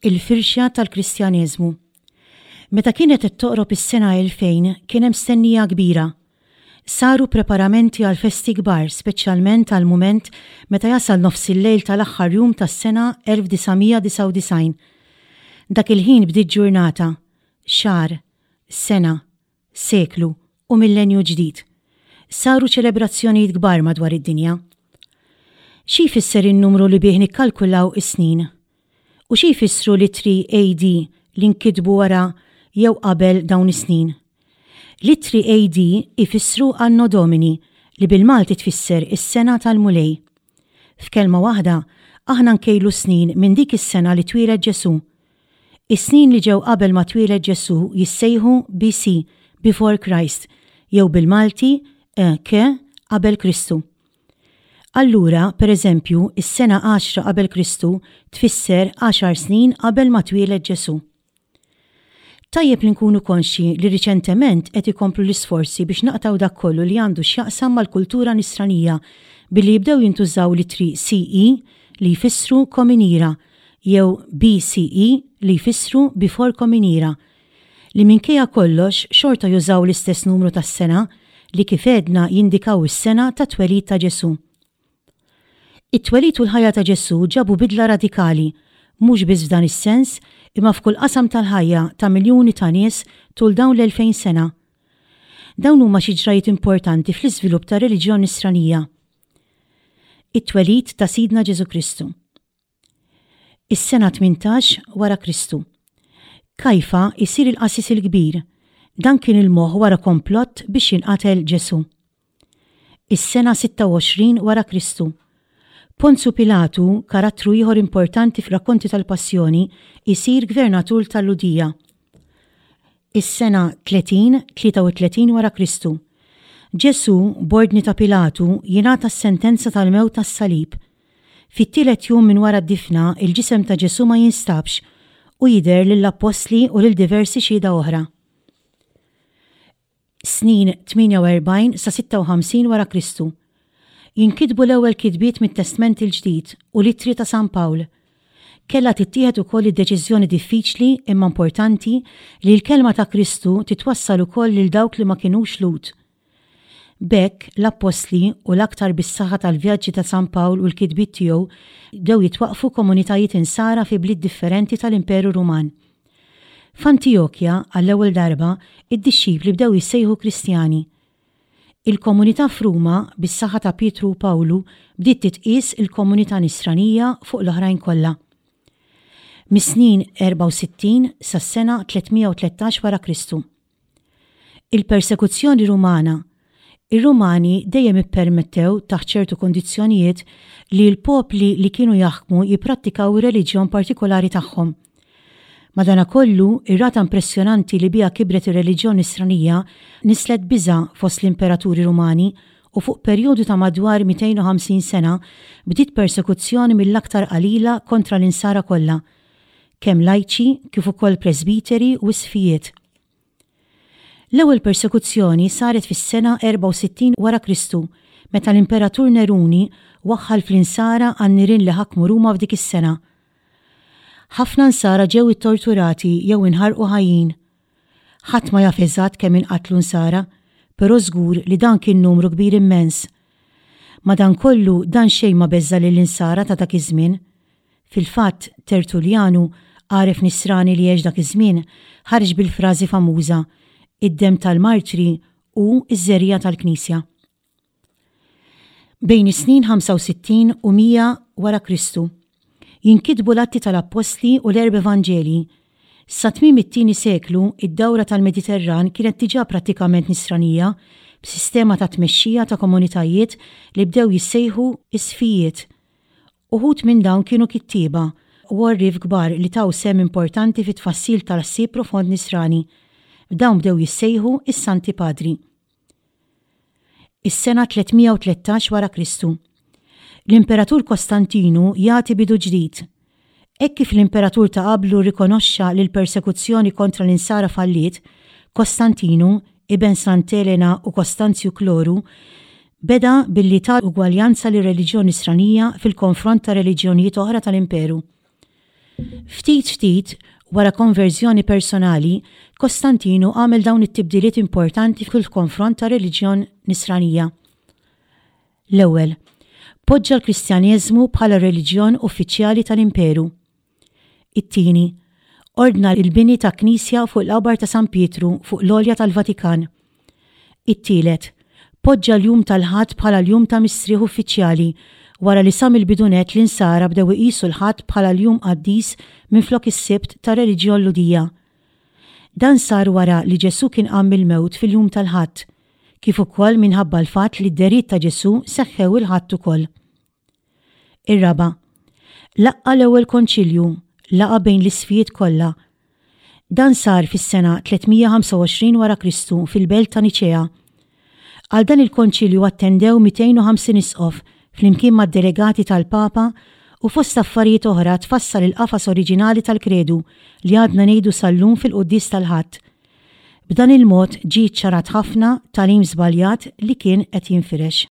Il-firxa tal-Kristjaneżmu. Meta kienet qed toqrob is-sena 2000 kien hemm stennija kbira. Saru preparamenti għal festi kbar speċjalment għall-mument meta jasal nofsillejl tal-aħħar jum tas-sena 1999. Dak il-ħin bdiet ġurnata, xahar, sena, seklu u millenju ġdid. Saru ċelebrazzjonijiet kbar madwar id-dinja. Xi jfisser in-numru li bih nikkalkulaw is-snin? U xi jfissru l-ittri AD li nkitbu wara jew qabel dawn is-snin? L-ittri AD ifissru Anno Domini li bil-Malti tfisser is-sena tal-Mulej. F'kelma waħda, aħna nkejlu s-snin minn dik is-sena li twieled Ġesù. Is-snin li ġew qabel ma twieled Ġesù jissejħu BC, Before Christ, jew bil-Malti, EK, Qabel Kristu. Allura, per eżempju, is-sena għaxra qabel Kristu tfisser għaxar snin qabel ma twieled Ġesù. Tajjeb li nkunu konxji li riċentement qed ikomplu l-isforzi biex naqtgħu dak kollu li għandu x'jaqsam mal-kultura Nisranija billi jibdew jintużaw l-ittri CE li jfissru Common Era jew BCE li jfissru Before Common Era li minkejja kollox xorta jużaw l-istess numru tas-sena li kif għedna jindikaw is-sena tat-twelid ta' Ġesù. It-twelid u l-ħajja ta' Ġesù ġabu bidla radikali, mhux biss f'dan is-sens, imma f'kull qasam tal-ħajja ta' miljuni ta' nies tul dawn l-2000 sena. Dawn huma xi ġrajjiet importanti fl-iżvilupp tar-reliġjon Nisranija. It-twelid ta' Sidna Ġesù Kristu. Is-sena 18 wara Kristu. Kajfa jsir il-qassis il-kbir. Dan kien il-moħħ wara komplott biex jinqatel Ġesù. Is-sena 26 wara Kristu. Ponzu Pilatu, karattru ieħor importanti fir-rakkonti tal-Passjoni, isir gvernatur tal-Lhudija. Is-sena 30, 33 wara Kristu. Ġesù, b'ordni ta' Pilatu, jingħata s-sentenza tal-mewt tas-salib. Fit-tielet jum minn wara d-difna, il-ġisem ta' Ġesù ma jinstabx u jidher lill-appostli u lil diversi xhieda oħra. Snin 48 sa 56 wara Kristu. Jinkitbu l-ewwel kitbiet mit-Testment il-Ġdid u l-ittri ta' San Pawl. Kellha tittieħed ukoll id-deċiżjoni diffiċli imma importanti li l-kelma ta' Kristu titwassal ukoll lil dawk li ma kinux Lhud. B'hekk, l-appostli, u l-aktar bis-saħħa tal-vjaġġi ta' San Pawl u l-kitbiet tiegħu, bdew jitwaqqfu komunitajiet Insara fi bliet differenti tal-Imperu Ruman. F'Antijokja, għall-ewwel darba, id-dixxipli bdew jissejħu Kristjani. Il-komunità f'Ruma, bis-saħħa ta' Pietru u Pawlu, bdiet titqies il-komunità Nisranija fuq l-oħrajn kollha. Mis-snin 64 sas-sena 313 wara Kristu. Il-persekuzzjoni Rumana. Ir-Rumani dejjem ippermettew, taħt ċertu kundizzjonijiet, li l-popli li kienu jaħkmu jipprattikaw ir-reliġjon partikolari tagħhom. Madankollu, ir-rata impressjonanti li biha kibret ir-reliġjon Nisranija nisslet biża' fost l-imperaturi Rumani u fuq perjodu ta' madwar 250 sena bdiet persekuzzjoni mill-aktar qalila kontra l-Insara kollha, kemm lajċi kif ukoll presbiteri u isqfijiet. L-ewwel persekuzzjoni saret fis-sena 64 wara Kristu meta l-Imperatur Neruni waħħal fl-Insara għan-nirien li ħakmu Ruma f'dik is-sena. Ħafna Nsara ġew ittorturati jew inħarqu ħajjin. Ħadd ma jaf eżatt kemm inqatlu Nsara, però żgur li dan kien numru kbir immens. Madankollu dan xejn ma beżża' lill-Insara ta' dak iż-żmien. Fil-fatt, Tertulljanu, għaref Nisrani li għex dak iż-żmien, ħareġ bil-frażi famuża, Id-demm tal-martri hu ż-żerriegħa tal-Knisja. Bejn is-snin 65 u 100 wara Kristu, jinkitbu l-Atti tal-Appostli u l-Erba' Evanġelji. Sa tmiem it-tieni seklu, id-dawra tal-Mediterran kienet diġà prattikament Nisranija, b'sistema ta' tmexxija ta' komunitajiet li bdew jissejħu isqfijiet. Uħud minn dawn kienu kittieba u għorrief kbar li taw sehem importanti fit-tfassil tal-ħsieb profond Nisrani. Dawn bdew jissejħu s-Santi Padri. Is-sena 313 wara Kristu. L-Imperatur Kostantinu jagħti bidu ġdid. Hekk kif l-imperatur ta' qablu rrikonoxxa li l-persekuzzjoni kontra l-Insara falliet, Kostantinu, iben Sant'Elena u Kostanzju Kloru, beda billi ta ugwaljanza lir-reliġjon Nisranija fil-konfront ta' reliġjonijiet oħra tal-Imperu. Ftit ftit, wara konverżjoni personali, Kostantinu għamel dawn it-tibdiliet importanti fil-konfront tar-reliġjon Nisranija. L-ewwel, poġġa l-Kristjaneżmu bħala r-reliġjon uffiċjali tal-imperu. It-tieni, ordna l-bini ta' knisja fuq il-qabar ta' San Pietru fuq l-għolja tal-Vatikan. It-tielet, poġġa l-jum tal-Ħadd bħala l-jum ta' mistrieħ uffiċjali wara li sa mill-bidu nett l-Insara bdew iqisu l-Ħadd bħala l-jum qaddis minflok is-Sibt tar-reliġjon Lhudija. Dan sar wara li Ġesù kien qam mill-mewt fil-jum tal-Ħadd, kif ukoll minħabba l-fatt li d-dehriet ta' Ġesù seħħew il-Ħadd ukoll. Ir-raba', laqqa' l-ewwel konċilju, laqgħa bejn l-isqfijiet kollha. Dan sar fis-sena 325 wara Kristu fil-belt ta' Niċea. Għal dan il-konċilju attendew 250 isqof flimkien mad-delegati tal-Papa u fost affarijiet oħra tfassal il-qafas oriġinali tal-Kredu li għadna ngħidu sal-lum fil-quddies tal-Ħadd. B'dan il-mod ġie ċċarat ħafna tagħlim żbaljat li kien qed jinfirex.